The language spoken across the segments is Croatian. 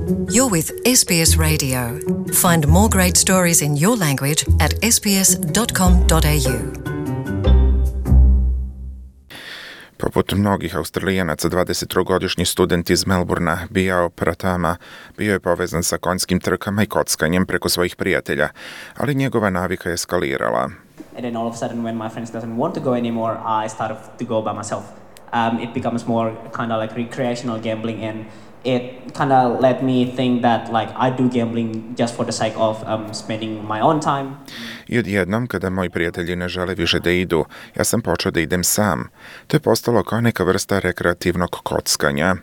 You're with SBS Radio. Find more great stories in your language at sbs.com.au. Poput mnogih Australijanaca, 23-godišnji student iz Melbourna, Bijao Pratama, bio je povezan sa konjskim trkama i kockanjem preko svojih prijatelja, ali njegova navika je eskalirala. And then all of a sudden, when my friends doesn't want to go anymore, I started to go by myself. It becomes more kind of like recreational gambling, and it kind of let me think that like I do gambling just for the sake of spending my own time. I odjednom, kada moji prijatelji ne žele više da idu, ja sam počeo da idem sam. To je postalo kao neka vrsta rekreativnog kockanja.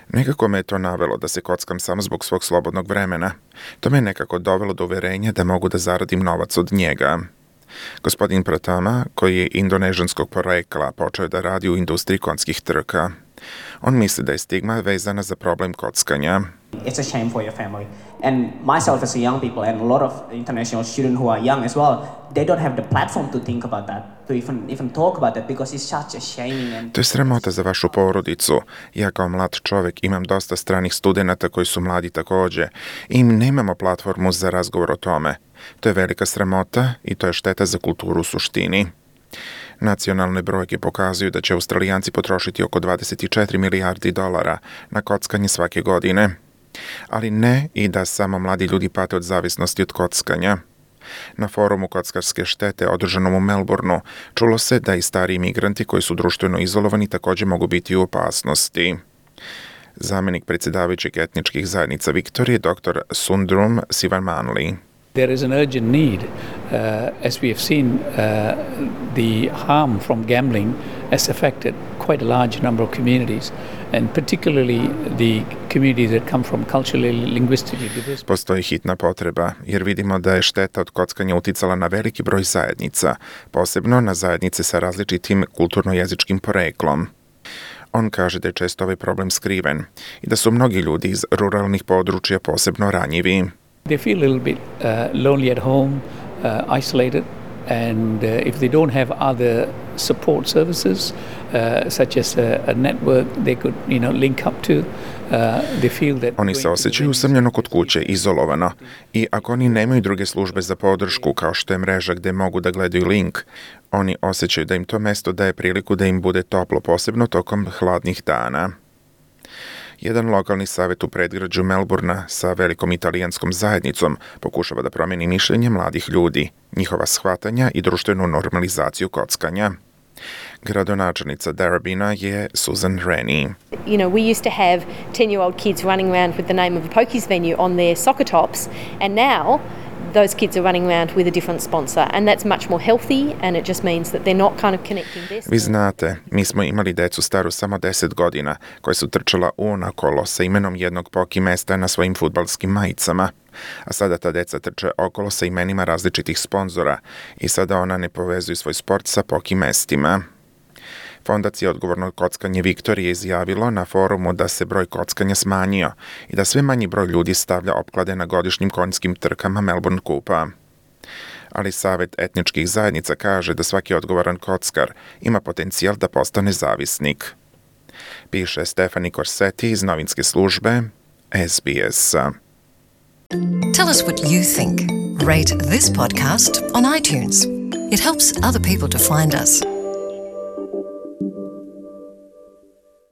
Nekako me je to navelo da se kockam samo zbog svog slobodnog vremena. To me je nekako dovelo do uverenja da mogu da zaradim novac od njega. Gospodin Pratama, koji je indonežanskog porekla, počeo da radi u industriji konjskih trka. On misli da je stigma vezana za problem kockanja. It's a shame for your family. And myself as a young people and a lot of international students who are young as well, they don't have the platform to think about that, to even talk about that, because it's such a shaming. To je sramota za vašu porodicu. Ja kao mlad čovjek imam dosta stranih studenata koji su mladi također i nemamo platformu za razgovor o tome. To je velika sramota i to je šteta za kulturu u suštini. Nacionalne brojke pokazuju da će Australijanci potrošiti oko 24 milijardi dolara na kockanje svake godine. Ali ne i da samo mladi ljudi pate od zavisnosti od kockanja. Na forumu kockarske štete održanom u Melbourneu čulo se da i stari migranti koji su društveno izolovani također mogu biti u opasnosti. Zamjenik predsjedavajućeg etničkih zajednica Viktorije, dr. Sundrum Sivamanli. There is an urgent need, as we have seen, the harm from gambling has affected quite a large number of communities, and particularly the communities that come from culturally, linguistically diverse. Postoji hitna potreba, jer vidimo da je šteta od kockanja uticala na veliki broj zajednica, posebno na zajednice sa različitim kulturno-jezičkim poreklom. On kaže da je često ovaj problem skriven i da su mnogi ljudi iz ruralnih područja posebno ranjivi. They feel a little bit lonely at home, isolated, and if they don't have other support services, such as a network they could, link up to, they feel that. Oni se osjećaju usamljeno kod kuće, izolovano, i ako oni nemaju druge službe za podršku, kao što je mreža gde mogu da gledaju link, oni osjećaju da im to mesto daje priliku da im bude toplo, posebno tokom hladnih dana. Jedan lokalni savjet u predgrađu Melbournea sa velikom italijanskom zajednicom pokušava da promijeni mišljenje mladih ljudi, njihova shvatanja i društvenu normalizaciju kockanja. Gradonačelnica Darabina je Susan Rennie. We used to have 10-year-old kids running around with the name of a pokies venue on their soccer tops, and now those kids are running around with a different sponsor, and that's much more healthy, and it just means that they're not kind of connecting this. Vi znate, mi smo imali decu staru samo 10 godina, koja su trčala unakolo sa imenom jednog poki mesta na svojim fudbalskim majicama. A sada ta deca trče okolo sa imenima različitih sponzora i sada ona ne povezuju svoj sport sa poki mestima. Fondacija Odgovorno kockanje Viktorije izjavilo na forumu da se broj kockanja smanjio i da sve manji broj ljudi stavlja opklade na godišnjim konjskim trkama Melbourne Kupa. Ali Savjet etničkih zajednica kaže da svaki odgovoran kockar ima potencijal da postane zavisnik. Piše Stefani Corsetti iz novinske službe SBS. Tell us what you think. Rate this podcast on iTunes. It helps other people to find us.